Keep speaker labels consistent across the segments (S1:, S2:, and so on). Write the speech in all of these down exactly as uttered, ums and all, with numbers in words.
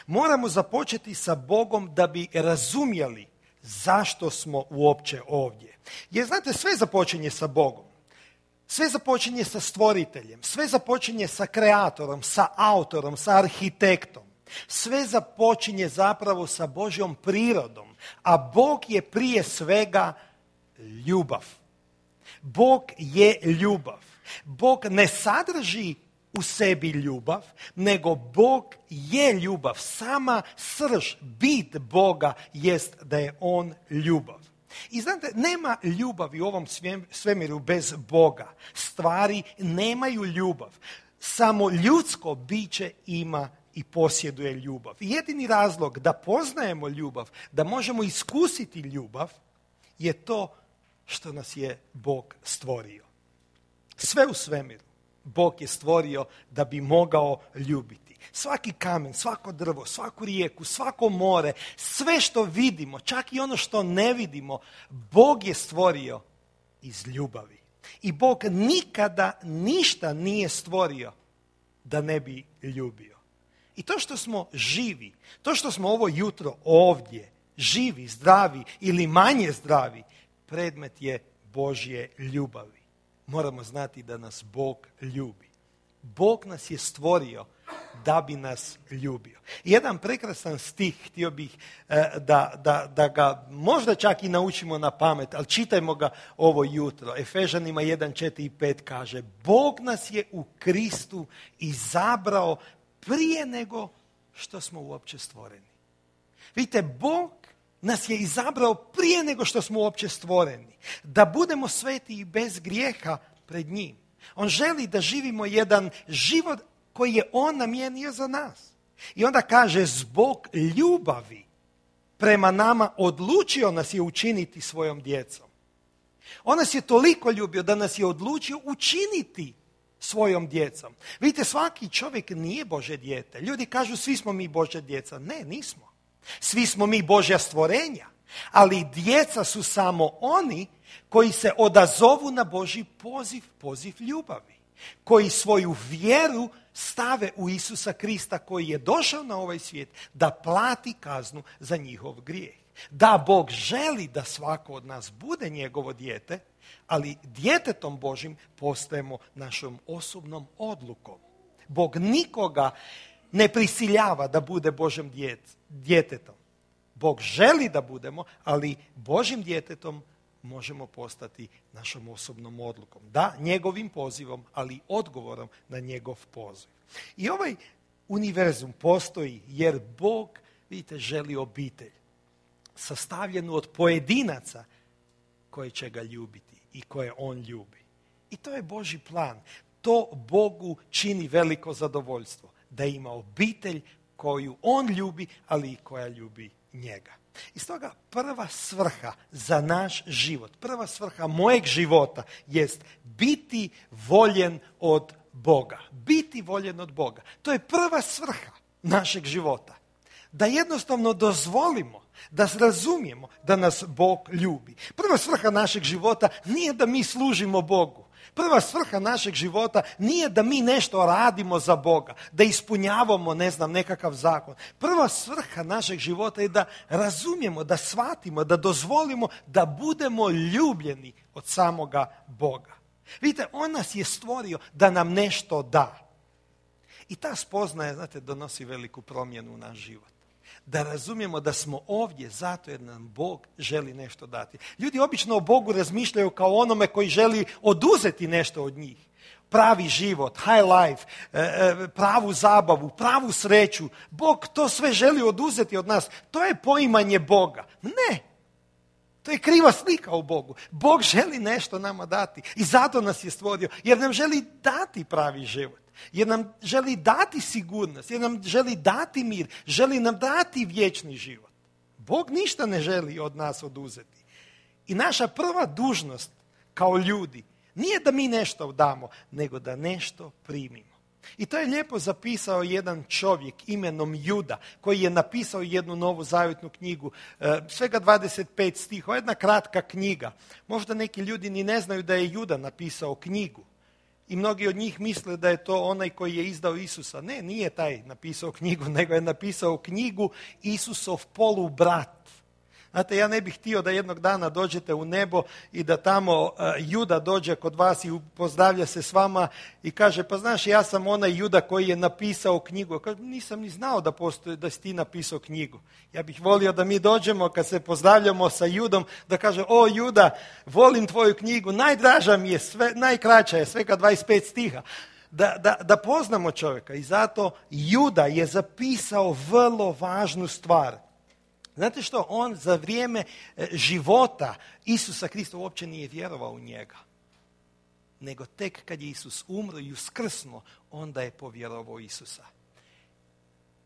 S1: Moramo započeti sa Bogom da bi razumjeli zašto smo uopće ovdje. Jer znate, sve započinje sa Bogom. Sve započinje sa stvoriteljem, sve započinje sa kreatorom, sa autorom, sa arhitektom. Sve započinje zapravo sa Božjom prirodom, a Bog je prije svega ljubav. Bog je ljubav. Bog ne sadrži u sebi ljubav, nego Bog je ljubav. Sama srž, bit Boga jest da je on ljubav. I znate, nema ljubavi u ovom svemiru bez Boga. Stvari nemaju ljubav. Samo ljudsko biće ima i posjeduje ljubav. I jedini razlog da poznajemo ljubav, da možemo iskusiti ljubav, je to što nas je Bog stvorio. Sve u svemiru Bog je stvorio da bi mogao ljubiti. Svaki kamen, svako drvo, svaku rijeku, svako more, sve što vidimo, čak i ono što ne vidimo, Bog je stvorio iz ljubavi. I Bog nikada ništa nije stvorio da ne bi ljubio. I to što smo živi, to što smo ovo jutro ovdje, živi, zdravi ili manje zdravi, predmet je Božje ljubavi. Moramo znati da nas Bog ljubi. Bog nas je stvorio da bi nas ljubio. Jedan prekrasan stih, htio bih da, da, da ga možda čak i naučimo na pamet, ali čitajmo ga ovo jutro. Efežanima jedan, četiri i pet kaže: Bog nas je u Kristu izabrao prije nego što smo uopće stvoreni. Vidite, Bog nas je izabrao prije nego što smo uopće stvoreni. Da budemo sveti i bez grijeha pred njim. On želi da živimo jedan život koji je on namijenio za nas. I onda kaže, zbog ljubavi prema nama odlučio nas je učiniti svojom djecom. On nas je toliko ljubio da nas je odlučio učiniti svojom djecom. Vidite, svaki čovjek nije Božje dijete. Ljudi kažu, svi smo mi Božja djeca. Ne, nismo. Svi smo mi Božja stvorenja. Ali djeca su samo oni koji se odazovu na Božji poziv, poziv ljubavi. Koji svoju vjeru stave u Isusa Krista koji je došao na ovaj svijet da plati kaznu za njihov grijeh. Da, Bog želi da svako od nas bude njegovo dijete, ali djetetom Božjim postajemo našom osobnom odlukom. Bog nikoga ne prisiljava da bude Božjim djetetom. Bog želi da budemo, ali Božjim djetetom možemo postati našom osobnom odlukom. Da, njegovim pozivom, ali odgovorom na njegov poziv. I ovaj univerzum postoji jer Bog, vidite, želi obitelj sastavljenu od pojedinaca koji će ga ljubiti i koje on ljubi. I to je Božji plan. To Bogu čini veliko zadovoljstvo. Da ima obitelj koju on ljubi, ali i koja ljubi njega. I stoga prva svrha za naš život, prva svrha mojeg života jest biti voljen od Boga. Biti voljen od Boga. To je prva svrha našeg života. Da jednostavno dozvolimo, da razumijemo da nas Bog ljubi. Prva svrha našeg života nije da mi služimo Bogu. Prva svrha našeg života nije da mi nešto radimo za Boga, da ispunjavamo, ne znam, nekakav zakon. Prva svrha našeg života je da razumijemo, da shvatimo, da dozvolimo da budemo ljubljeni od samoga Boga. Vidite, on nas je stvorio da nam nešto da. I ta spoznaja, znate, donosi veliku promjenu u naš život. Da razumijemo da smo ovdje zato jer nam Bog želi nešto dati. Ljudi obično o Bogu razmišljaju kao onome koji želi oduzeti nešto od njih. Pravi život, high life, pravu zabavu, pravu sreću. Bog to sve želi oduzeti od nas. To je poimanje Boga. Ne, to je kriva slika o Bogu. Bog želi nešto nama dati i zato nas je stvorio jer nam želi dati pravi život. Jer nam želi dati sigurnost, jer nam želi dati mir, želi nam dati vječni život. Bog ništa ne želi od nas oduzeti. I naša prva dužnost kao ljudi nije da mi nešto damo, nego da nešto primimo. I to je lijepo zapisao jedan čovjek imenom Juda, koji je napisao jednu novu zavjetnu knjigu, svega dvadeset pet stihova, jedna kratka knjiga. Možda neki ljudi ni ne znaju da je Juda napisao knjigu. I mnogi od njih misle da je to onaj koji je izdao Isusa. Ne, nije taj napisao knjigu, nego je napisao knjigu Isusov polubrat. Znate, ja ne bih htio da jednog dana dođete u nebo i da tamo uh, Juda dođe kod vas i pozdravlja se s vama i kaže, pa znaš, ja sam onaj Juda koji je napisao knjigu. Kaže, nisam ni znao da postoji, da si ti napisao knjigu. Ja bih volio da mi dođemo kad se pozdravljamo sa Judom, da kaže, o Juda, volim tvoju knjigu, najdraža mi je, sve, najkraća je, svega dvadeset pet stiha. Da, da, da poznamo čovjeka i zato Juda je zapisao vrlo važnu stvar. Znate što? On za vrijeme života Isusa Krista uopće nije vjerovao u njega. Nego tek kad je Isus umro i uskrsnuo, onda je povjerovao u Isusa.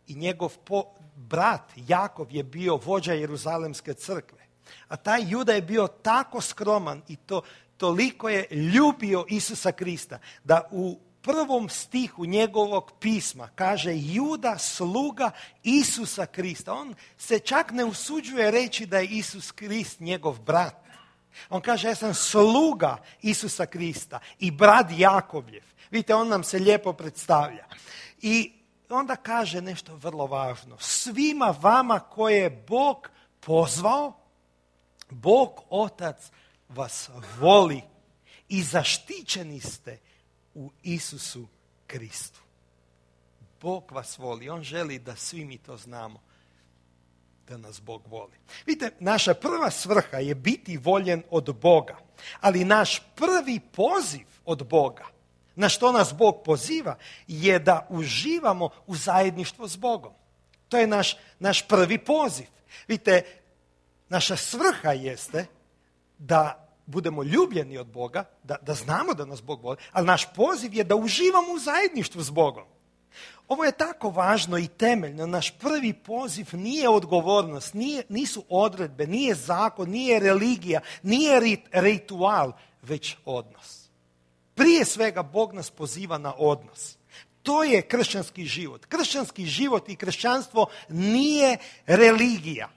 S1: I njegov po, brat Jakov je bio vođa Jeruzalemske crkve. A taj Juda je bio tako skroman i to, toliko je ljubio Isusa Krista da u prvom stihu njegovog pisma kaže Juda sluga Isusa Krista. On se čak ne usuđuje reći da je Isus Krist njegov brat. On kaže ja sam sluga Isusa Krista i brat Jakovljev. Vidite, on nam se lijepo predstavlja. I onda kaže nešto vrlo važno. Svima vama koje je Bog pozvao, Bog Otac vas voli i zaštićeni ste u Isusu Kristu. Bog vas voli. On želi da svi mi to znamo. Da nas Bog voli. Vidite, naša prva svrha je biti voljen od Boga. Ali naš prvi poziv od Boga, na što nas Bog poziva, je da uživamo u zajedništvu s Bogom. To je naš, naš prvi poziv. Vidite, naša svrha jeste da budemo ljubljeni od Boga, da, da znamo da nas Bog voli, ali naš poziv je da uživamo u zajedništvu s Bogom. Ovo je tako važno i temeljno. Naš prvi poziv nije odgovornost, nije, nisu odredbe, nije zakon, nije religija, nije rit, ritual, već odnos. Prije svega Bog nas poziva na odnos. To je kršćanski život. Kršćanski život i kršćanstvo nije religija.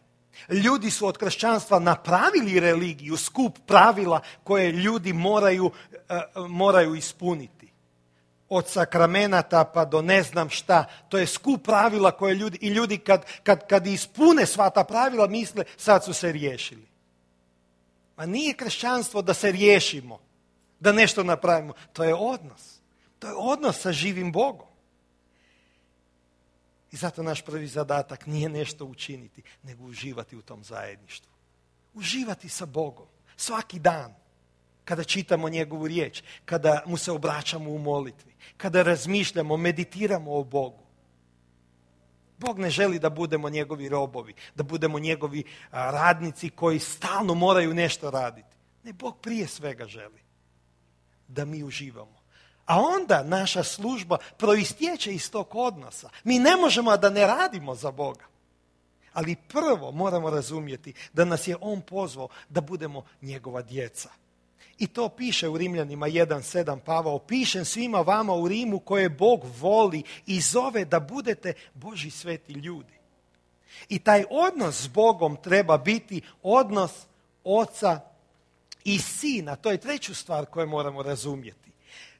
S1: Ljudi su od kršćanstva napravili religiju, skup pravila koje ljudi moraju, uh, moraju ispuniti. Od sakramenata pa do ne znam šta. To je skup pravila koje ljudi, i ljudi kad, kad, kad ispune sva ta pravila misle sad su se riješili. Ma nije kršćanstvo da se riješimo, da nešto napravimo. To je odnos. To je odnos sa živim Bogom. I zato naš prvi zadatak nije nešto učiniti, nego uživati u tom zajedništvu. Uživati sa Bogom. Svaki dan. Kada čitamo njegovu riječ. Kada mu se obraćamo u molitvi. Kada razmišljamo, meditiramo o Bogu. Bog ne želi da budemo njegovi robovi. Da budemo njegovi radnici koji stalno moraju nešto raditi. Ne, Bog prije svega želi da mi uživamo. A onda naša služba proistječe iz tog odnosa. Mi ne možemo da ne radimo za Boga. Ali prvo moramo razumjeti da nas je On pozvao da budemo njegova djeca. I to piše u Rimljanima jedan sedam Pavao. Pišem svima vama u Rimu koje Bog voli i zove da budete Božji sveti ljudi. I taj odnos s Bogom treba biti odnos oca i sina. To je treću stvar koju moramo razumjeti.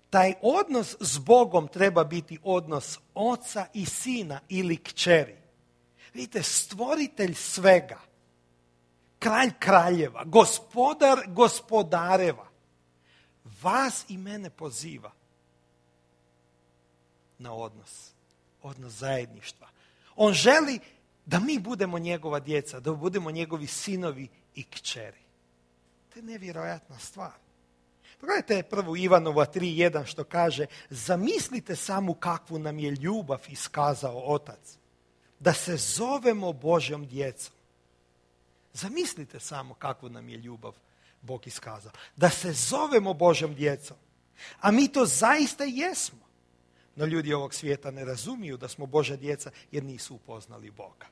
S1: Taj odnos s Bogom treba biti odnos oca i sina ili kćeri. Vidite, stvoritelj svega, kralj kraljeva, gospodar gospodareva, vas i mene poziva na odnos, odnos zajedništva. On želi da mi budemo njegova djeca, da budemo njegovi sinovi i kćeri. To je nevjerojatna stvar. Pogledajte prvo Ivanova tri jedan što kaže, zamislite samo kakvu nam je ljubav iskazao Otac, da se zovemo Božjom djecom. Zamislite samo kakvu nam je ljubav Bog iskazao, da se zovemo Božjom djecom. A mi to zaista jesmo. No ljudi ovog svijeta ne razumiju da smo Božja djeca jer nisu upoznali Boga.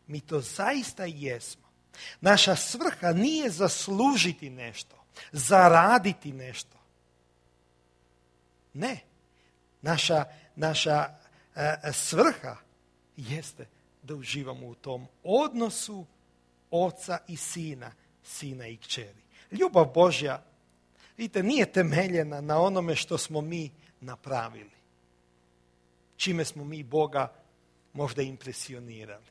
S1: Mi to zaista jesmo. Naša svrha nije zaslužiti nešto, zaraditi nešto. Ne. Naša, naša e, svrha jeste da uživamo u tom odnosu oca i sina, sina i kćeri. Ljubav Božja Vidite, nije temeljena na onome što smo mi napravili. Čime smo mi Boga možda impresionirali.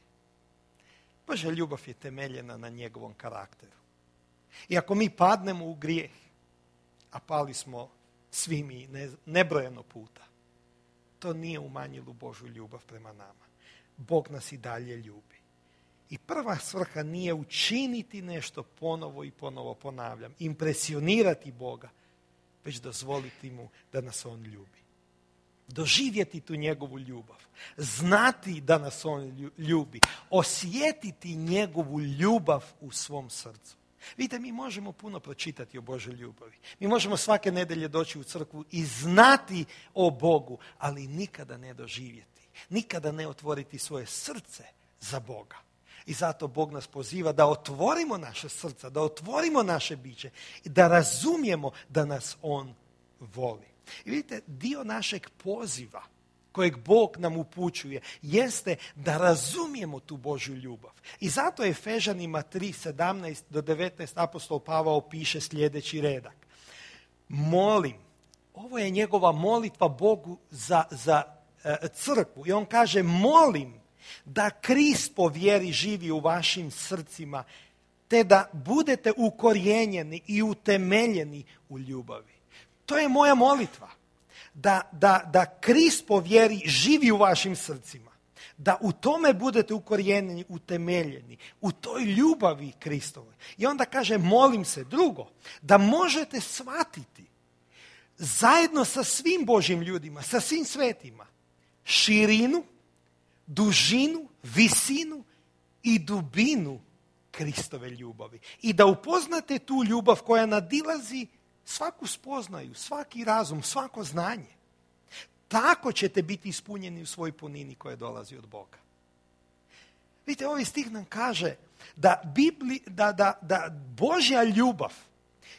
S1: Božja ljubav je temeljena na njegovom karakteru. I ako mi padnemo u grijeh, a pali smo svi mi nebrojeno puta, to nije umanjilo Božju ljubav prema nama. Bog nas i dalje ljubi. I prva svrha nije učiniti nešto ponovo i ponovo, ponavljam, impresionirati Boga, već dozvoliti mu da nas on ljubi. Doživjeti tu njegovu ljubav, znati da nas on ljubi, osjetiti njegovu ljubav u svom srcu. Vidite, mi možemo puno pročitati o Božoj ljubavi. Mi možemo svake nedjelje doći u crkvu i znati o Bogu, ali nikada ne doživjeti, nikada ne otvoriti svoje srce za Boga. I zato Bog nas poziva da otvorimo naše srca, da otvorimo naše biće i da razumijemo da nas on voli. I vidite, dio našeg poziva kojeg Bog nam upućuje jeste da razumijemo tu Božju ljubav. I zato Efežanima tri, sedamnaest do devetnaest apostol Pavao piše sljedeći redak. Molim, ovo je njegova molitva Bogu za, za e, crkvu. I on kaže, molim da Krist po vjeri živi u vašim srcima, te da budete ukorijenjeni i utemeljeni u ljubavi. To je moja molitva. Da, da, da Krist po vjeri živi u vašim srcima. Da u tome budete ukorijenjeni, utemeljeni. U toj ljubavi Kristovoj. I onda kaže, molim se, drugo, da možete shvatiti zajedno sa svim Božjim ljudima, sa svim svetima, širinu, dužinu, visinu i dubinu Kristove ljubavi. I da upoznate tu ljubav koja nadilazi svaku spoznaju, svaki razum, svako znanje. Tako ćete biti ispunjeni u svojoj punini koja dolazi od Boga. Vidite, ovaj stih nam kaže da, Bibli, da, da, da Božja ljubav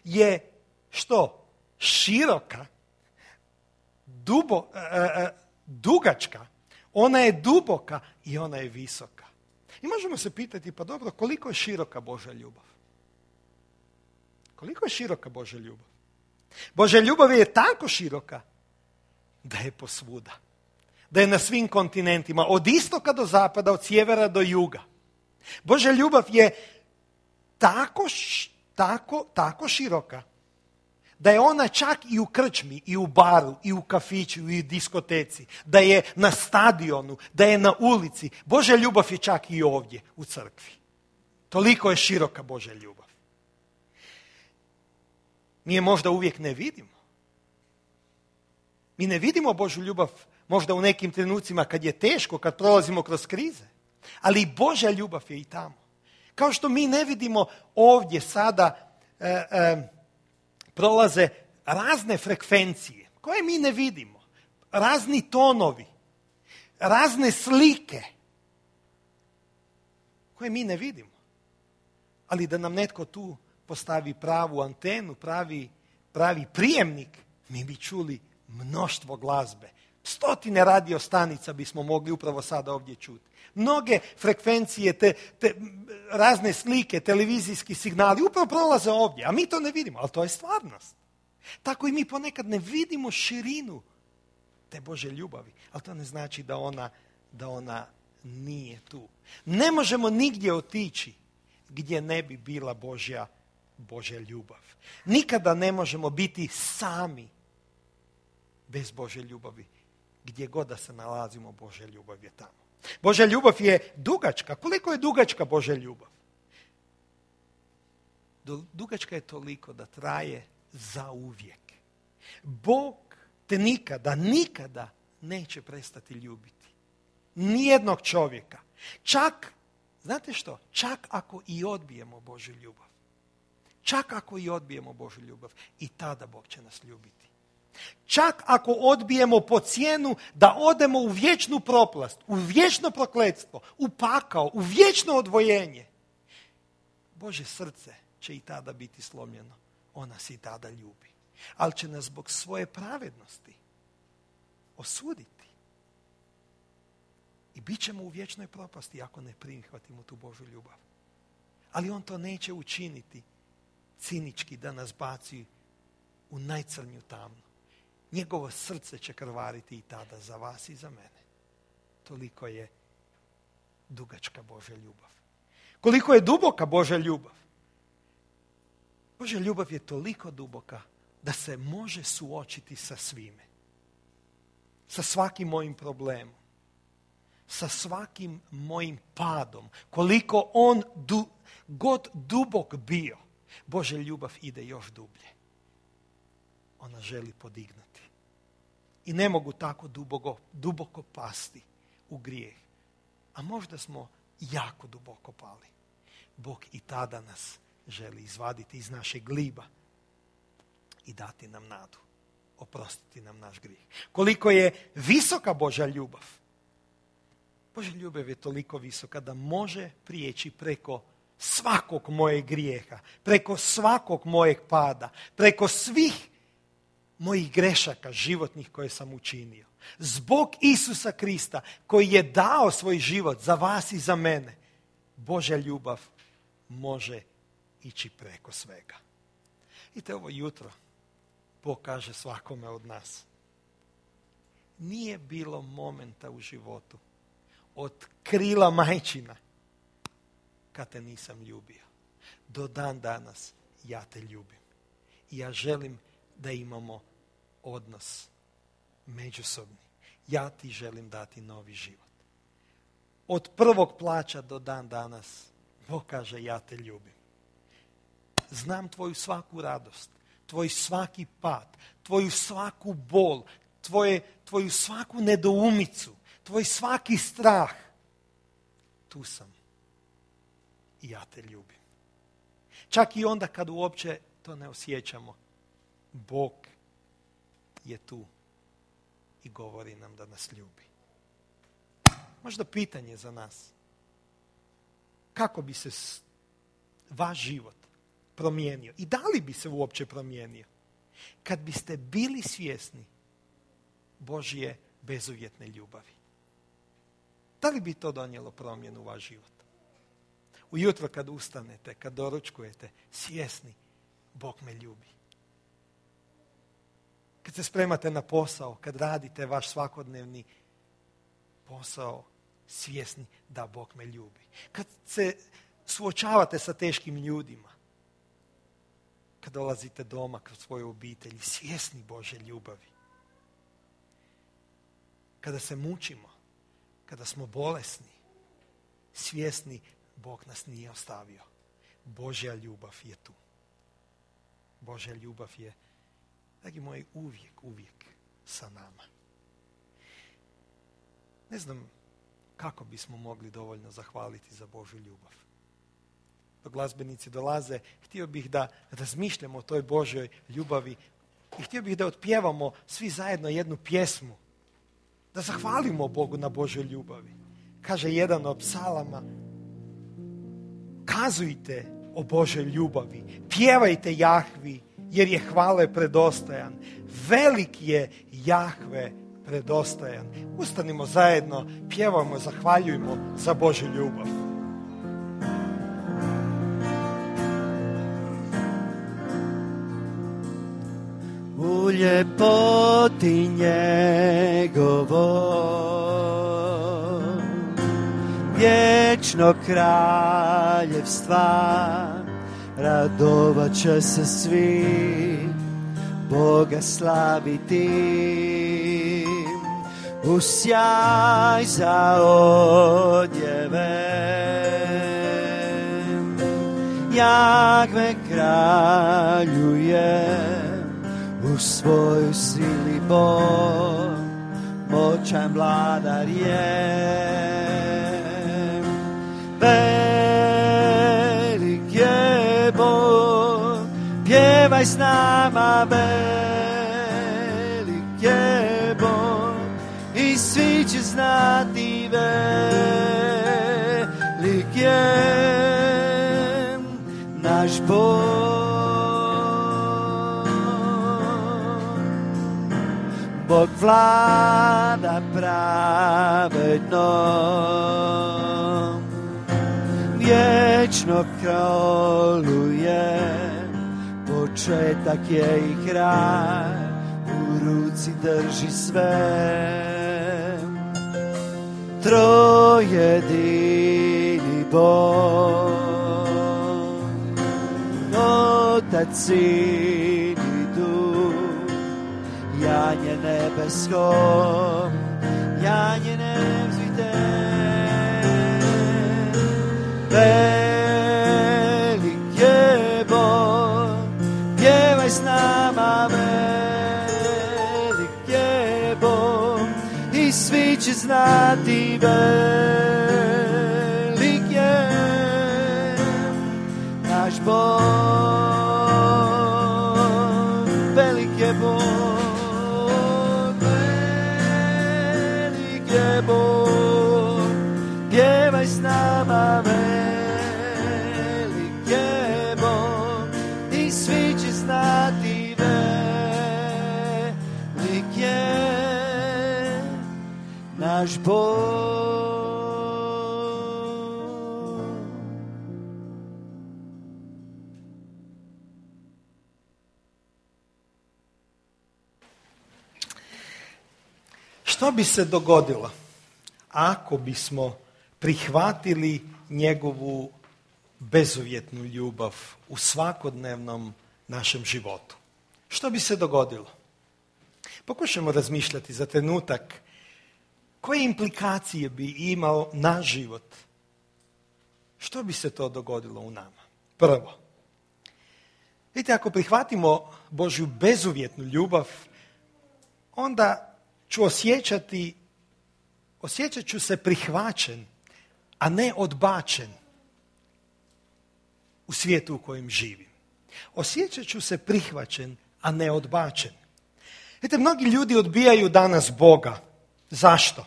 S1: je što? Široka, dubo, e, dugačka, ona je duboka i ona je visoka. I možemo se pitati, pa dobro, koliko je široka Božja ljubav? Koliko je široka Božja ljubav? Božja ljubav je tako široka da je posvuda. Da je na svim kontinentima, od istoka do zapada, od sjevera do juga. Božja ljubav je tako, tako, tako široka da je ona čak i u krčmi, i u baru, i u kafiću, i u diskoteci, da je na stadionu, da je na ulici. Božja ljubav je čak i ovdje u crkvi. Toliko je široka Božja ljubav. Mi je možda uvijek ne vidimo. Mi ne vidimo Božju ljubav možda u nekim trenucima kad je teško, kad prolazimo kroz krize. Ali Božja ljubav je i tamo. Kao što mi ne vidimo ovdje sada e, e, prolaze razne frekvencije koje mi ne vidimo. Razni tonovi, razne slike koje mi ne vidimo. Ali da nam netko tu postavi pravu antenu, pravi, pravi prijemnik, mi bi čuli mnoštvo glazbe. Stotine radio stanica bismo mogli upravo sada ovdje čuti. Mnoge frekvencije, te, te razne slike, televizijski signali upravo prolaze ovdje, a mi to ne vidimo, ali to je stvarnost. Tako i mi ponekad ne vidimo širinu te Božje ljubavi, ali to ne znači da ona, da ona nije tu. Ne možemo nigdje otići gdje ne bi bila Božja, Božja ljubav. Nikada ne možemo biti sami bez Božje ljubavi. Gdje god da se nalazimo, Božja ljubav je tamo. Božja ljubav je dugačka. Koliko je dugačka Božja ljubav? Dugačka je toliko da traje zauvijek. Bog te nikada, nikada neće prestati ljubiti. Nijednog čovjeka. Čak, znate što? Čak ako i odbijemo Božju ljubav. Čak ako i odbijemo Božju ljubav, i tada Bog će nas ljubiti. Čak ako odbijemo po cijenu da odemo u vječnu propast, u vječno prokletstvo, u pakao, u vječno odvojenje, Božje srce će i tada biti slomljeno. On nas i tada ljubi. Ali će nas zbog svoje pravednosti osuditi. I bit ćemo u vječnoj propasti ako ne prihvatimo tu Božju ljubav. Ali on to neće učiniti cinički da nas baci u najcrnju tamnu. Njegovo srce će krvariti i tada za vas i za mene. Toliko je dugačka Božja ljubav. Koliko je duboka Božja ljubav? Božja ljubav je toliko duboka da se može suočiti sa svime. Sa svakim mojim problemom. Sa svakim mojim padom. Koliko on du, god dubok bio, Božja ljubav ide još dublje. Ona želi podignuti. I ne mogu tako duboko, duboko pasti u grijeh. A možda smo jako duboko pali. Bog i tada nas želi izvaditi iz našeg gliba i dati nam nadu. Oprostiti nam naš grijeh. Koliko je visoka Božja ljubav. Božja ljubav je toliko visoka da može prijeći preko svakog mojeg grijeha, preko svakog mojeg pada, preko svih mojih grešaka životnih koje sam učinio. Zbog Isusa Krista koji je dao svoj život za vas i za mene, Božja ljubav može ići preko svega. I te ovo jutro Bog kaže svakome od nas. Nije bilo momenta u životu od krila majčina kad te nisam ljubio. Do dan danas ja te ljubim. I ja želim da imamo odnos međusobni. Ja ti želim dati novi život. Od prvog plaća do dan danas Bog kaže ja te ljubim. Znam tvoju svaku radost, tvoj svaki pad, tvoju svaku bol, tvoje, tvoju svaku nedoumicu, tvoj svaki strah. Tu sam i ja te ljubim. Čak i onda kad uopće to ne osjećamo, Bog je tu i govori nam da nas ljubi. Možda pitanje za nas. Kako bi se vaš život promijenio i da li bi se uopće promijenio kad biste bili svjesni Božje bezuvjetne ljubavi? Da li bi to donijelo promjenu u vaš život? Ujutro kad ustanete, kad doručkujete, svjesni Bog me ljubi. Kad se spremate na posao, kad radite vaš svakodnevni posao, svjesni da Bog me ljubi. Kad se suočavate sa teškim ljudima, kad dolazite doma kod svoje obitelji, svjesni Božje ljubavi. Kada se mučimo, kada smo bolesni, svjesni Bog nas nije ostavio. Božja ljubav je tu. Božja ljubav je, dragi moji, uvijek, uvijek sa nama. Ne znam kako bismo mogli dovoljno zahvaliti za Božju ljubav. Dok glazbenici dolaze, htio bih da razmišljamo o toj Božjoj ljubavi i htio bih da otpjevamo svi zajedno jednu pjesmu. Da zahvalimo Bogu na Božjoj ljubavi. Kaže jedan od psalama, kazujte o Božjoj ljubavi, pjevajte Jahvi, jer je hvale predostojan. Velik je Jahve predostojan. Ustanimo zajedno, pjevamo, zahvaljujmo za Božju ljubav.
S2: U ljepoti njegovo vječno kraljevstva radovat će se svi, Boga slaviti. U sjaj za odjeve Jahve kraljuje, u svojoj sili Bog moćan vladar je. Velik je Bog, pjevaj s nama, velik je Bog i svi će znati velik je naš Bog. Bog vlada pravedno, vječno kraluje, po početak je i kraj, u ruci drži sve. Trojedini Bog, Otac, Sin i Duh, janje nebesko, janje nevzvite. Velik je Bog, pjevaj s nama, velik je Bog, i svi će znati velik je naš Bog, velik je Bog, velik je Bog, pjevaj s nama, velik je Bog, i svi će znati velik je naš Bog.
S1: Što bi se dogodilo ako bismo prihvatili njegovu bezuvjetnu ljubav u svakodnevnom našem životu? Što bi se dogodilo? Pokušajmo razmišljati za trenutak koje implikacije bi imao naš život. Što bi se to dogodilo u nama? Prvo, vidite, ako prihvatimo Božju bezuvjetnu ljubav, onda ću osjećati, osjećat ću se prihvaćen, a ne odbačen u svijetu u kojem živim. Osjećat ću se prihvaćen, a ne odbačen. Vidite, mnogi ljudi odbijaju danas Boga. Zašto?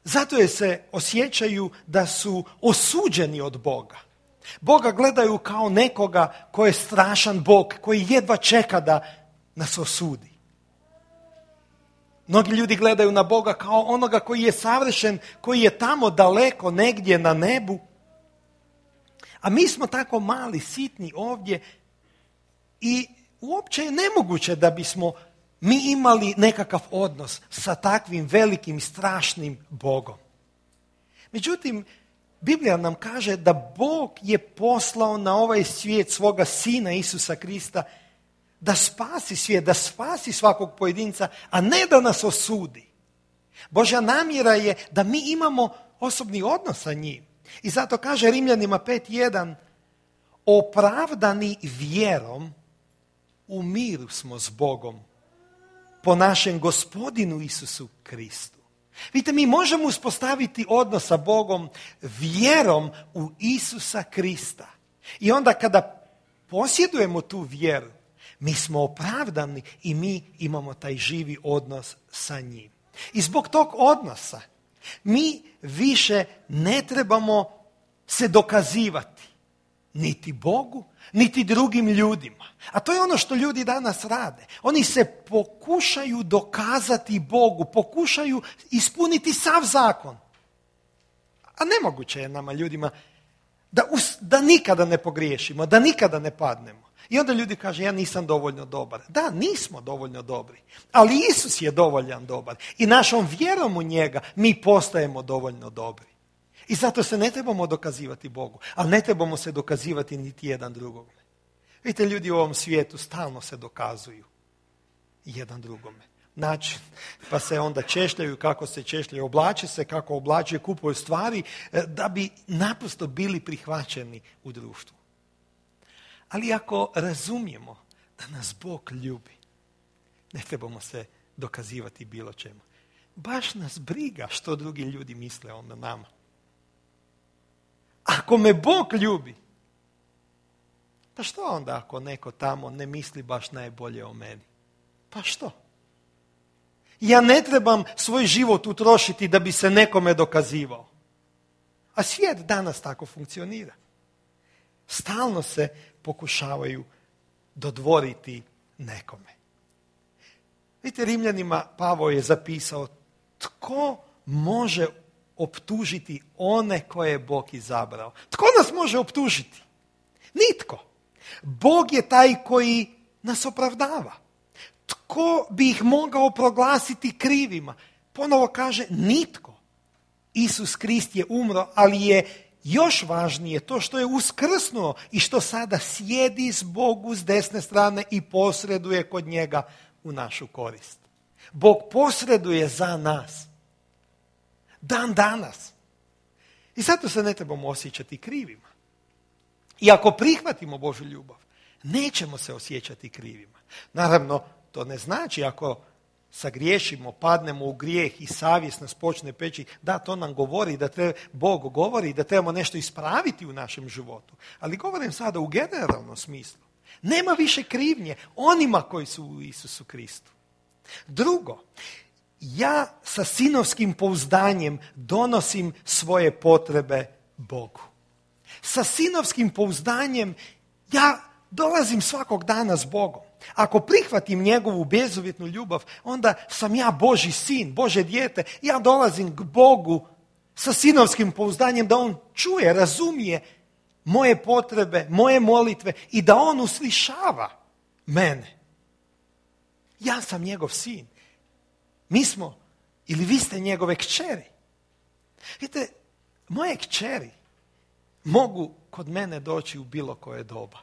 S1: Zato jer se osjećaju da su osuđeni od Boga. Boga gledaju kao nekoga koji je strašan Bog, koji jedva čeka da nas osudi. Mnogi ljudi gledaju na Boga kao onoga koji je savršen, koji je tamo daleko, negdje na nebu. A mi smo tako mali, sitni ovdje i uopće je nemoguće da bismo mi imali nekakav odnos sa takvim velikim, strašnim Bogom. Međutim, Biblija nam kaže da Bog je poslao na ovaj svijet svoga Sina Isusa Krista da spasi svijet, da spasi svakog pojedinca, a ne da nas osudi. Božja namjera je da mi imamo osobni odnos sa njim. I zato kaže Rimljanima pet jedan, opravdani vjerom u miru smo s Bogom po našem Gospodinu Isusu Kristu. Vidite, mi možemo uspostaviti odnos sa Bogom vjerom u Isusa Krista. I onda kada posjedujemo tu vjeru, mi smo opravdani i mi imamo taj živi odnos sa njim. I zbog tog odnosa mi više ne trebamo se dokazivati niti Bogu, niti drugim ljudima. A to je ono što ljudi danas rade. Oni se pokušaju dokazati Bogu, pokušaju ispuniti sav zakon. A nemoguće je nama ljudima da, us, da nikada ne pogriješimo, da nikada ne padnemo. I onda ljudi kažu, ja nisam dovoljno dobar. Da, nismo dovoljno dobri, ali Isus je dovoljan dobar. I našom vjerom u njega mi postajemo dovoljno dobri. I zato se ne trebamo dokazivati Bogu, ali ne trebamo se dokazivati niti jedan drugome. Vidite, ljudi u ovom svijetu stalno se dokazuju jedan drugome. Način, pa se onda češljaju kako se češljaju, oblače se kako oblače, kupuju stvari da bi naprosto bili prihvaćeni u društvu. Ali ako razumijemo da nas Bog ljubi, ne trebamo se dokazivati bilo čemu. Baš nas briga što drugi ljudi misle o nama. Ako me Bog ljubi, pa što onda ako neko tamo ne misli baš najbolje o meni? Pa što? Ja ne trebam svoj život utrošiti da bi se nekome dokazivao. A svijet danas tako funkcionira. Stalno se pokušavaju dodvoriti nekome. Vidite, Rimljanima Pavao je zapisao, tko može optužiti one koje je Bog izabrao? Tko nas može optužiti? Nitko. Bog je taj koji nas opravdava. Tko bi ih mogao proglasiti krivima? Ponovo kaže, nitko. Isus Krist je umro, ali je još važnije to što je uskrsnuo i što sada sjedi s Bogu s desne strane i posreduje kod njega u našu korist. Bog posreduje za nas. Dan danas. I zato se ne trebamo osjećati krivima. I ako prihvatimo Božju ljubav, nećemo se osjećati krivima. Naravno, to ne znači ako sagriješimo, padnemo u grijeh i savjest nas počne peći, da, to nam govori, da treba, Bog govori da trebamo nešto ispraviti u našem životu. Ali govorim sada u generalnom smislu. Nema više krivnje onima koji su u Isusu Kristu. Drugo, ja sa sinovskim pouzdanjem donosim svoje potrebe Bogu. Sa sinovskim pouzdanjem ja dolazim svakog dana s Bogom. Ako prihvatim njegovu bezuvjetnu ljubav, onda sam ja Božji sin, Božje dijete. Ja dolazim k Bogu sa sinovskim pouzdanjem da on čuje, razumije moje potrebe, moje molitve i da on uslišava mene. Ja sam njegov sin. Mi smo, ili vi ste njegove kćeri. Vidite, moje kćeri mogu kod mene doći u bilo koje doba.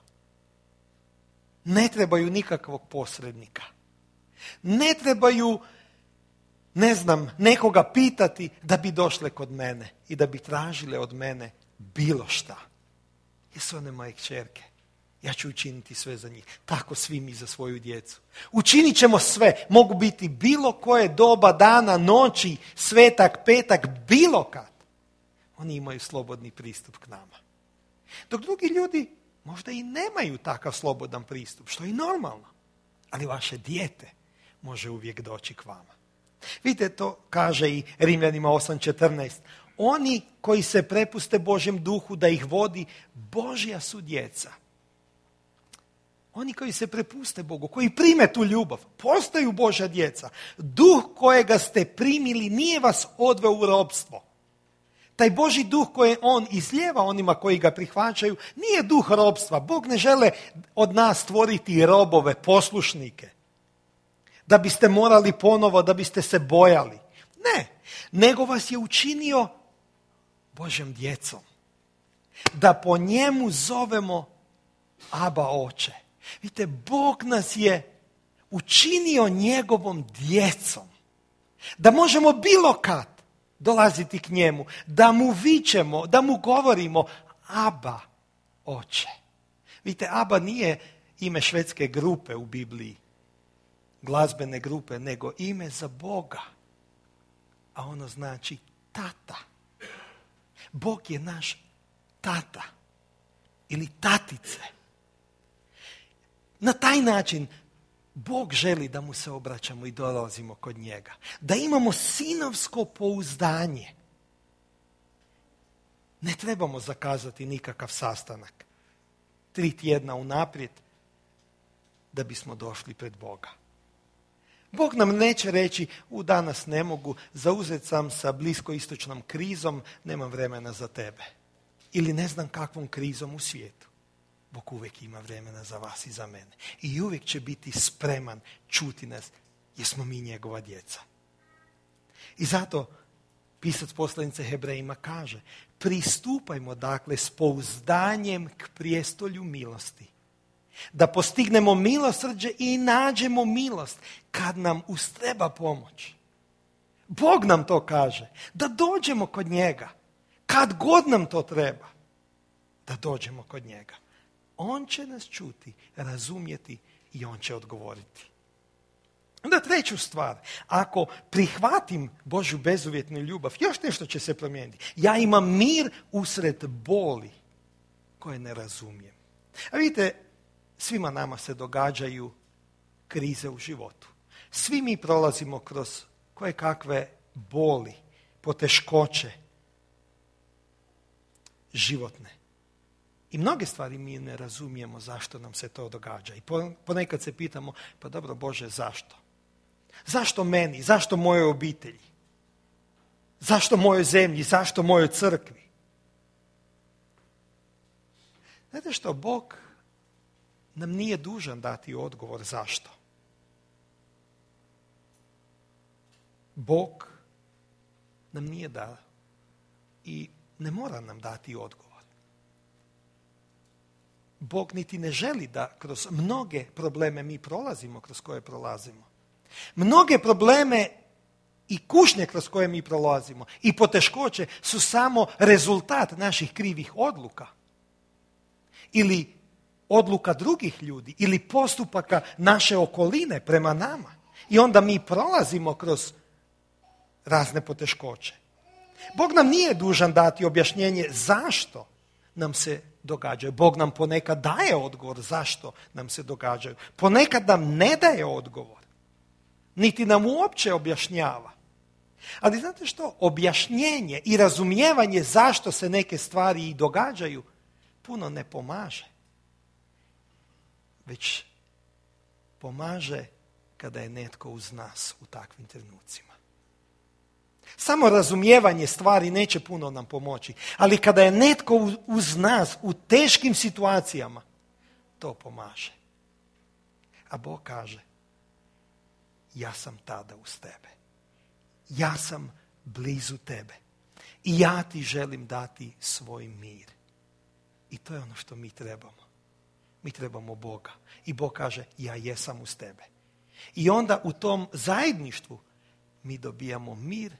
S1: Ne trebaju nikakvog posrednika. Ne trebaju, ne znam, nekoga pitati da bi došle kod mene i da bi tražile od mene bilo šta. Jesu one moje kćerke. Ja ću učiniti sve za njih. Tako svi mi za svoju djecu. Učinit ćemo sve. Mogu biti bilo koje doba, dana, noći, svetak, petak, bilo kad. Oni imaju slobodni pristup k nama. Dok drugi ljudi možda i nemaju takav slobodan pristup, što je i normalno. Ali vaše dijete može uvijek doći k vama. Vidite, to kaže i Rimljanima osam četrnaest. Oni koji se prepuste Božjem duhu da ih vodi, Božja su djeca. Oni koji se prepuste Bogu, koji prime tu ljubav, postaju Božja djeca. Duh kojega ste primili nije vas odveo u ropstvo. Taj Božji duh koji on izlijeva onima koji ga prihvaćaju, nije duh ropstva. Bog ne žele od nas stvoriti robove, poslušnike. Da biste morali ponovo, da biste se bojali. Ne, nego vas je učinio Božjom djecom. Da po njemu zovemo Aba Oče. Vidite, Bog nas je učinio njegovom djecom. Da možemo bilo kad dolaziti k njemu, da mu vičemo, da mu govorimo Aba Oče. Vidite, Aba nije ime švedske grupe u Bibliji, glazbene grupe, nego ime za Boga. A ono znači tata. Bog je naš tata ili tatice. Na taj način Bog želi da mu se obraćamo i dolazimo kod njega. Da imamo sinovsko pouzdanje. Ne trebamo zakazati nikakav sastanak. Tri tjedna unaprijed da bismo došli pred Boga. Bog nam neće reći, u danas ne mogu, zauzet sam sa bliskoistočnom krizom, nemam vremena za tebe. Ili ne znam kakvom krizom u svijetu. Bog uvijek ima vremena za vas i za mene. I uvijek će biti spreman čuti nas, jer smo mi njegova djeca. I zato pisac poslanice Hebrejima kaže, pristupajmo dakle s pouzdanjem k prijestolju milosti. Da postignemo milosrđe i nađemo milost kad nam ustreba pomoć. Bog nam to kaže, da dođemo kod njega, kad god nam to treba, da dođemo kod njega. On će nas čuti, razumjeti i on će odgovoriti. Onda treću stvar, ako prihvatim Božju bezuvjetnu ljubav, još nešto će se promijeniti. Ja imam mir usred boli koje ne razumijem. A vidite, svima nama se događaju krize u životu. Svi mi prolazimo kroz koje kakve boli, poteškoće životne. I mnoge stvari mi ne razumijemo zašto nam se to događa. I ponekad se pitamo, pa dobro Bože, zašto? Zašto meni? Zašto mojoj obitelji? Zašto mojoj zemlji? Zašto mojoj crkvi? Znate što, Bog nam nije dužan dati odgovor zašto. Bog nam nije dao i ne mora nam dati odgovor. Bog niti ne želi da kroz mnoge probleme mi prolazimo kroz koje prolazimo. Mnoge probleme i kušnje kroz koje mi prolazimo i poteškoće su samo rezultat naših krivih odluka. Ili odluka drugih ljudi, ili postupaka naše okoline prema nama. I onda mi prolazimo kroz razne poteškoće. Bog nam nije dužan dati objašnjenje zašto nam se događaju. Bog nam ponekad daje odgovor zašto nam se događaju. Ponekad nam ne daje odgovor. Niti nam uopće objašnjava. Ali znate što? Objašnjenje i razumijevanje zašto se neke stvari i događaju puno ne pomaže. Već pomaže kada je netko uz nas u takvim trenucima. Samo razumijevanje stvari neće puno nam pomoći, ali kada je netko uz nas u teškim situacijama, to pomaže. A Bog kaže, ja sam tada uz tebe. Ja sam blizu tebe. I ja ti želim dati svoj mir. I to je ono što mi trebamo. Mi trebamo Boga. I Bog kaže, ja jesam uz tebe. I onda u tom zajedništvu mi dobijamo mir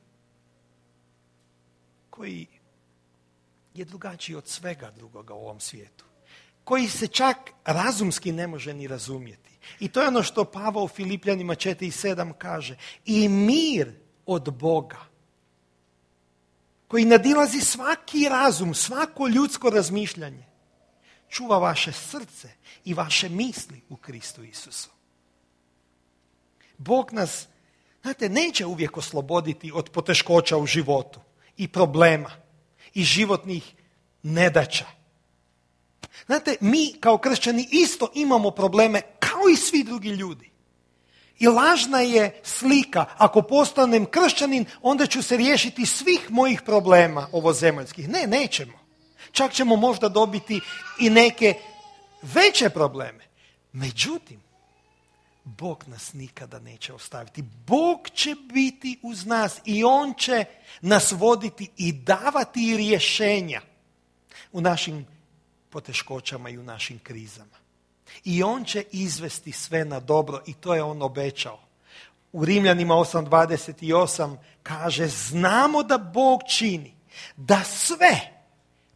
S1: koji je drugačiji od svega drugoga u ovom svijetu. Koji se čak razumski ne može ni razumjeti. I to je ono što Pavao u Filipljanima četiri sedam kaže. I mir od Boga, koji nadilazi svaki razum, svako ljudsko razmišljanje, čuva vaše srce i vaše misli u Kristu Isusu. Bog nas, znate, neće uvijek osloboditi od poteškoća u životu i problema i životnih nedaća. Znate, mi kao kršćani isto imamo probleme kao i svi drugi ljudi. I lažna je slika, ako postanem kršćanin, onda ću se riješiti svih mojih problema ovozemaljskih. Ne, nećemo. Čak ćemo možda dobiti i neke veće probleme. Međutim, Bog nas nikada neće ostaviti. Bog će biti uz nas i On će nas voditi i davati rješenja u našim poteškoćama i u našim krizama. I On će izvesti sve na dobro i to je On obećao. U Rimljanima osam dvadeset osam kaže, znamo da Bog čini da sve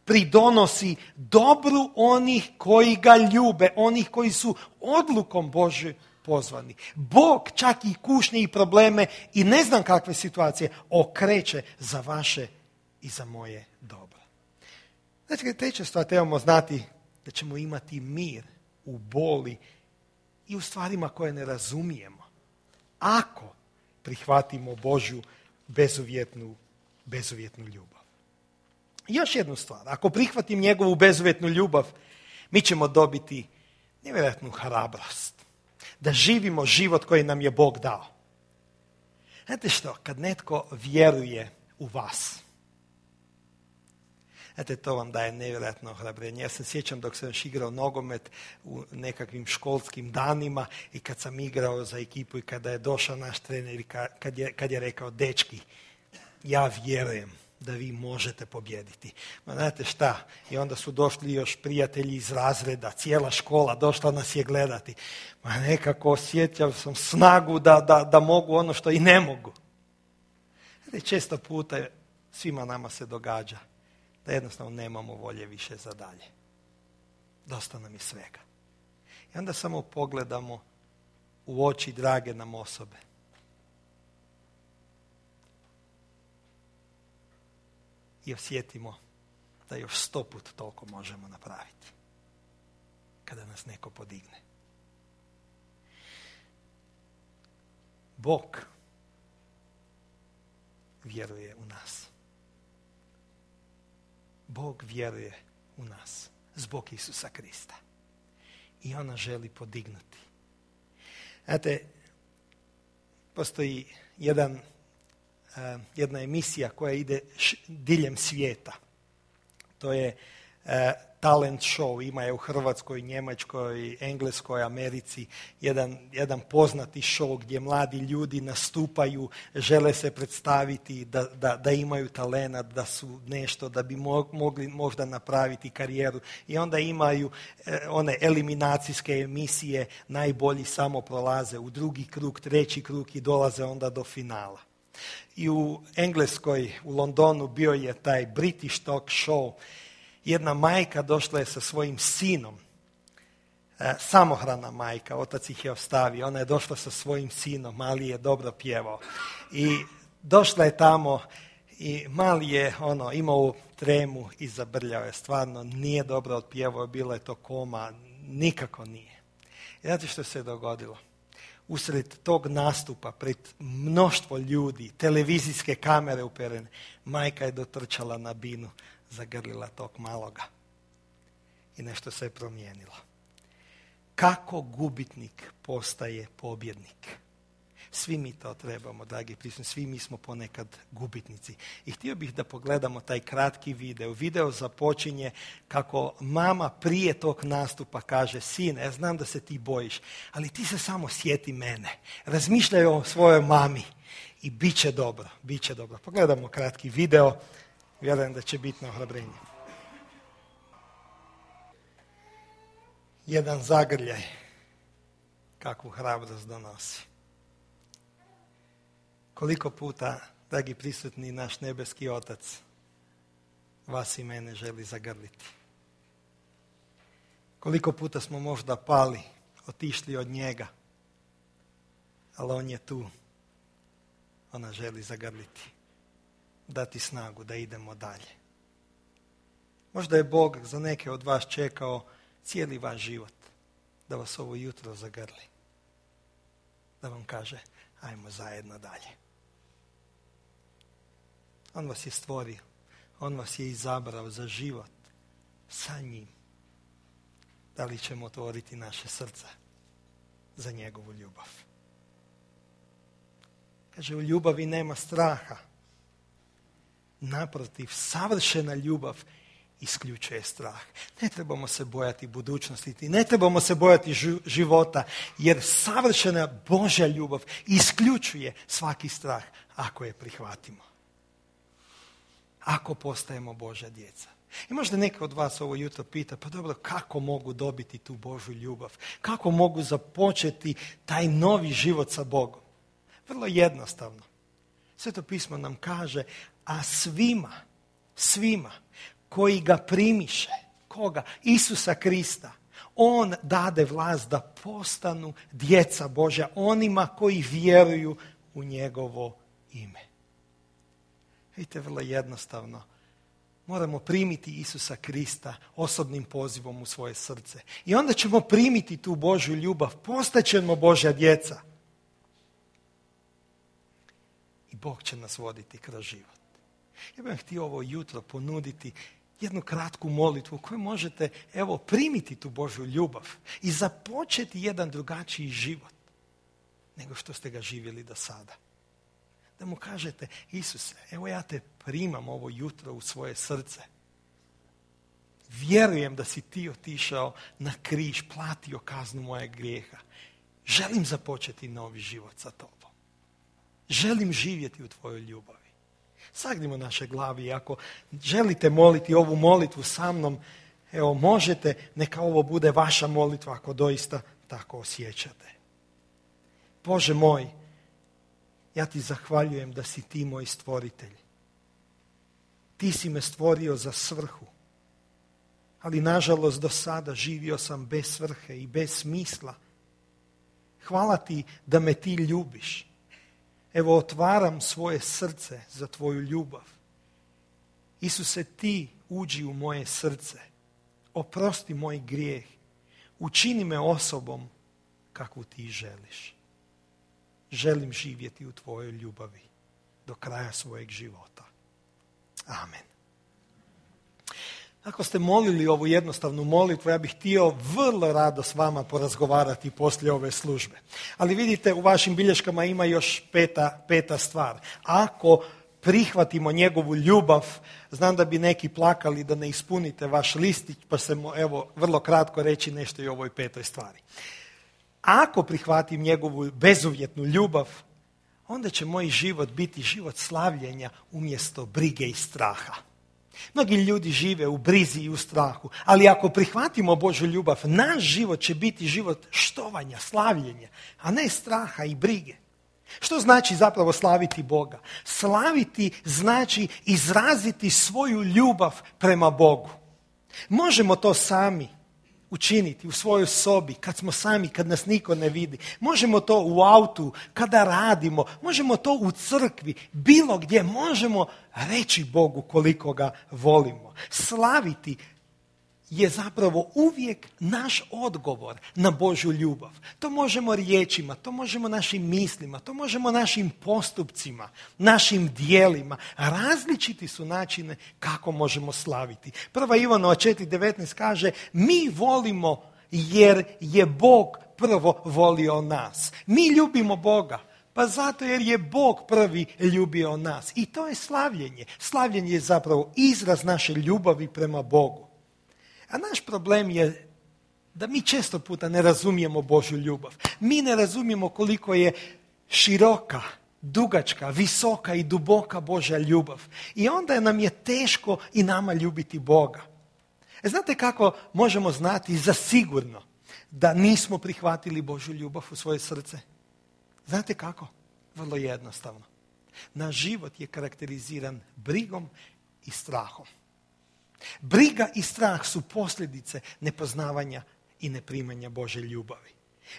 S1: pridonosi dobru onih koji ga ljube, onih koji su odlukom Božje pozvani. Bog čak i kušnje i probleme i ne znam kakve situacije okreće za vaše i za moje dobro. Znači, treća stvar, trebamo znati da ćemo imati mir u boli i u stvarima koje ne razumijemo. Ako prihvatimo Božju bezuvjetnu, bezuvjetnu ljubav. I još jednu stvar, ako prihvatim njegovu bezuvjetnu ljubav, mi ćemo dobiti nevjerojatnu hrabrost. Da živimo život koji nam je Bog dao. Znate što, kad netko vjeruje u vas, znate, to vam daje nevjerojatno ohrabrenje. Ja se sjećam dok sam još igrao nogomet u nekakvim školskim danima i kad sam igrao za ekipu i kada je došao naš trener i kad je, kad je rekao, dečki, ja vjerujem da vi možete pobijediti. Ma znate šta, i onda su došli još prijatelji iz razreda, cijela škola došla nas je gledati. Ma nekako osjećao sam snagu da, da, da mogu ono što i ne mogu. Znate, često puta svima nama se događa da jednostavno nemamo volje više za dalje. Dosta nam je svega. I onda samo pogledamo u oči drage nam osobe. I osjetimo da još sto put toliko možemo napraviti. Kada nas neko podigne. Bog vjeruje u nas. Bog vjeruje u nas zbog Isusa Krista. I ona želi podignuti. Znate, postoji jedan, uh, jedna emisija koja ide š, diljem svijeta. To je e, talent show, ima je u Hrvatskoj, Njemačkoj, Engleskoj, Americi, jedan, jedan poznati show gdje mladi ljudi nastupaju, žele se predstaviti da, da, da imaju talenat, da su nešto, da bi mogli možda napraviti karijeru i onda imaju eh, one eliminacijske emisije, najbolji samo prolaze u drugi krug, treći krug i dolaze onda do finala. I u Engleskoj, u Londonu bio je taj British talk show. Jedna majka došla je sa svojim sinom, e, samohrana majka, otac ih je ostavio, ona je došla sa svojim sinom, mali je dobro pjevao. I došla je tamo i mali je ono, imao tremu i zabrljao je, stvarno nije dobro otpjevao, bilo je to koma, nikako nije. I znate što se je dogodilo? Usred tog nastupa, pred mnoštvo ljudi, televizijske kamere uperene, majka je dotrčala na binu, zagrlila tog maloga i nešto se je promijenilo. Kako gubitnik postaje pobjednik? Svi mi to trebamo, dragi prisutni, svi mi smo ponekad gubitnici. I htio bih da pogledamo taj kratki video. Video započinje kako mama prije tog nastupa kaže: sine, ja znam da se ti bojiš, ali ti se samo sjeti mene. Razmišljaj o svojoj mami i bit će dobro, bit će dobro. Pogledamo kratki video. Vjerujem da će biti na ohrabrenje. Jedan zagrljaj kakvu hrabrost donosi. Koliko puta, dragi prisutni, naš nebeski Otac vas i mene želi zagrliti. Koliko puta smo možda pali, otišli od njega, ali on je tu. Ona želi zagrliti, dati snagu da idemo dalje. Možda je Bog za neke od vas čekao cijeli vaš život da vas ovo jutro zagrli. Da vam kaže: ajmo zajedno dalje. On vas je stvorio. On vas je izabrao za život sa njim. Da li ćemo otvoriti naše srce za njegovu ljubav? Kaže, u ljubavi nema straha. Naprotiv, savršena ljubav isključuje strah. Ne trebamo se bojati budućnosti, ne trebamo se bojati života, jer savršena Božja ljubav isključuje svaki strah ako je prihvatimo. Ako postajemo Božja djeca. I možda neka od vas ovo jutro pita: pa dobro, kako mogu dobiti tu Božju ljubav? Kako mogu započeti taj novi život sa Bogom? Vrlo jednostavno. Sveto pismo nam kaže: a svima, svima koji ga primiše, koga? Isusa Krista, on dade vlast da postanu djeca Božja, onima koji vjeruju u njegovo ime. Vidite, vrlo jednostavno. Moramo primiti Isusa Krista osobnim pozivom u svoje srce. I onda ćemo primiti tu Božju ljubav, postaćemo Božja djeca. I Bog će nas voditi kroz život. Ja bih htio ovo jutro ponuditi jednu kratku molitvu koju možete, evo, primiti tu Božju ljubav i započeti jedan drugačiji život nego što ste ga živjeli do sada. Da mu kažete: Isuse, evo ja te primam ovo jutro u svoje srce. Vjerujem da si ti otišao na križ, platio kaznu mojeg grijeha. Želim započeti novi život sa tobom. Želim živjeti u tvojoj ljubavi. Sagnimo naše glavi i ako želite moliti ovu molitvu sa mnom, evo možete, neka ovo bude vaša molitva ako doista tako osjećate. Bože moj, ja ti zahvaljujem da si ti moj stvoritelj. Ti si me stvorio za svrhu, ali nažalost do sada živio sam bez svrhe i bez smisla. Hvala ti da me ti ljubiš. Evo, otvaram svoje srce za tvoju ljubav. Isuse, ti uđi u moje srce. Oprosti moj grijeh. Učini me osobom kakvu ti želiš. Želim živjeti u tvojoj ljubavi do kraja svojeg života. Amen. Ako ste molili ovu jednostavnu molitvu, ja bih htio vrlo rado s vama porazgovarati poslije ove službe. Ali vidite, u vašim bilješkama ima još peta, peta stvar. Ako prihvatimo njegovu ljubav. Znam da bi neki plakali da ne ispunite vaš listić, pa se evo vrlo kratko reći nešto i o ovoj petoj stvari. Ako prihvatim njegovu bezuvjetnu ljubav, onda će moj život biti život slavljenja umjesto brige i straha. Mnogi ljudi žive u brizi i u strahu, ali ako prihvatimo Božju ljubav, naš život će biti život štovanja, slavljenja, a ne straha i brige. Što znači zapravo slaviti Boga? Slaviti znači izraziti svoju ljubav prema Bogu. Možemo to sami učiniti u svojoj sobi, kad smo sami, kad nas niko ne vidi. Možemo to u autu, kada radimo. Možemo to u crkvi, bilo gdje. Možemo reći Bogu koliko ga volimo. Slaviti je zapravo uvijek naš odgovor na Božju ljubav. To možemo riječima, to možemo našim mislima, to možemo našim postupcima, našim dijelima. Različiti su načine kako možemo slaviti. Prva Ivanova četiri devetnaest kaže, mi volimo jer je Bog prvo volio nas. Mi ljubimo Boga. Pa zato jer je Bog prvi ljubio nas. I to je slavljenje. Slavljenje je zapravo izraz naše ljubavi prema Bogu. A naš problem je da mi često puta ne razumijemo Božju ljubav. Mi ne razumijemo koliko je široka, dugačka, visoka i duboka Božja ljubav. I onda nam je teško i nama ljubiti Boga. E, znate kako možemo znati za sigurno da nismo prihvatili Božju ljubav u svoje srce? Znate kako? Vrlo jednostavno. Naš život je karakteriziran brigom i strahom. Briga i strah su posljedice nepoznavanja i neprimanja Božje ljubavi.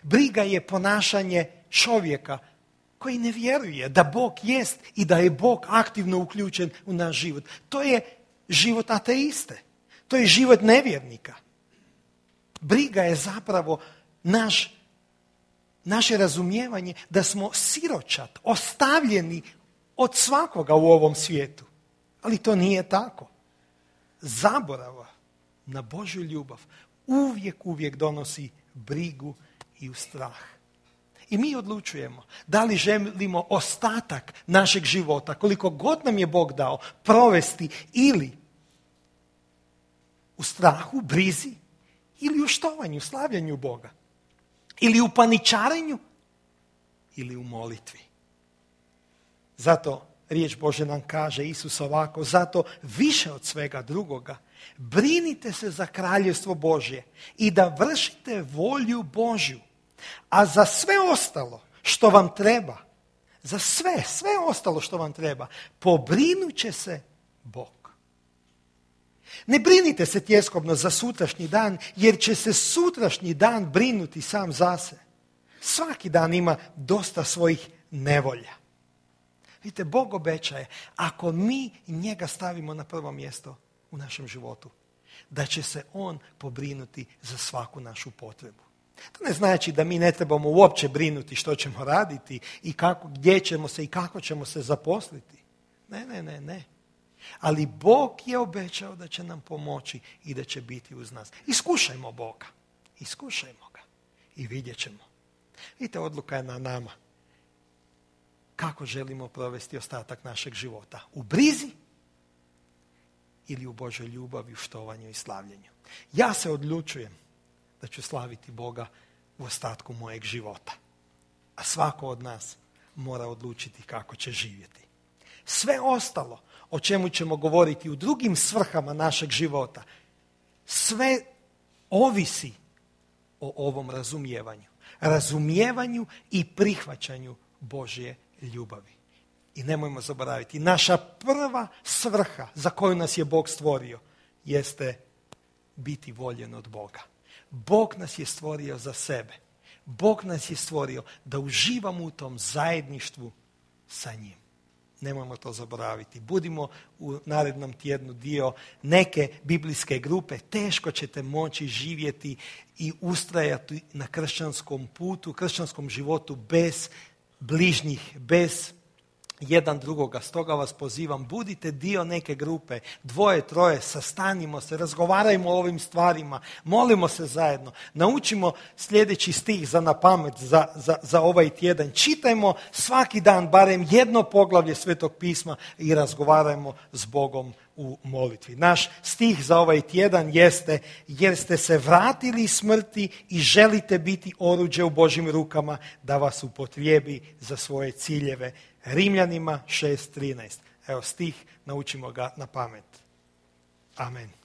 S1: Briga je ponašanje čovjeka koji ne vjeruje da Bog jest i da je Bog aktivno uključen u naš život. To je život ateiste. To je život nevjernika. Briga je zapravo naš, naše razumijevanje da smo siročad, ostavljeni od svakoga u ovom svijetu. Ali to nije tako. Zaborava na Božju ljubav uvijek, uvijek donosi brigu i strah. I mi odlučujemo da li želimo ostatak našeg života, koliko god nam je Bog dao, provesti ili u strahu, brizi, ili u štovanju, slavljanju Boga, ili u paničarenju, ili u molitvi. Zato riječ Božja nam kaže, Isus ovako, zato više od svega drugoga, brinite se za kraljevstvo Božje i da vršite volju Božju. A za sve ostalo što vam treba, za sve, sve ostalo što vam treba, pobrinut će se Bog. Ne brinite se tjeskobno za sutrašnji dan, jer će se sutrašnji dan brinuti sam za se. Svaki dan ima dosta svojih nevolja. Vidite, Bog obećaje, ako mi njega stavimo na prvo mjesto u našem životu, da će se on pobrinuti za svaku našu potrebu. To ne znači da mi ne trebamo uopće brinuti što ćemo raditi i kako, gdje ćemo se i kako ćemo se zaposliti. Ne, ne, ne, ne. Ali Bog je obećao da će nam pomoći i da će biti uz nas. Iskušajmo Boga. Iskušajmo ga i vidjet ćemo. Vidite, odluka je na nama. Kako želimo provesti ostatak našeg života? U brizi ili u Božoj ljubavi, u štovanju i slavljenju? Ja se odlučujem da ću slaviti Boga u ostatku mojeg života. A svako od nas mora odlučiti kako će živjeti. Sve ostalo o čemu ćemo govoriti u drugim svrhama našeg života, sve ovisi o ovom razumijevanju. Razumijevanju i prihvaćanju Božje ljubavi. I nemojmo zaboraviti, naša prva svrha za koju nas je Bog stvorio jeste biti voljen od Boga. Bog nas je stvorio za sebe. Bog nas je stvorio da uživamo u tom zajedništvu sa njim. Nemojmo to zaboraviti. Budimo u narednom tjednu dio neke biblijske grupe. Teško ćete moći živjeti i ustrajati na kršćanskom putu, kršćanskom životu bez bližnjih, bez jedan drugoga. Stoga vas pozivam, budite dio neke grupe, dvoje, troje, sastanimo se, razgovarajmo o ovim stvarima, molimo se zajedno, naučimo sljedeći stih za na pamet za, za, za ovaj tjedan. Čitajmo svaki dan barem jedno poglavlje Svetog pisma i razgovarajmo s Bogom u molitvi. Naš stih za ovaj tjedan jeste: jer ste se vratili iz smrti i želite biti oruđe u Božjim rukama da vas upotrijebi za svoje ciljeve. Rimljanima šest trinaest. Evo stih, naučimo ga na pamet. Amen.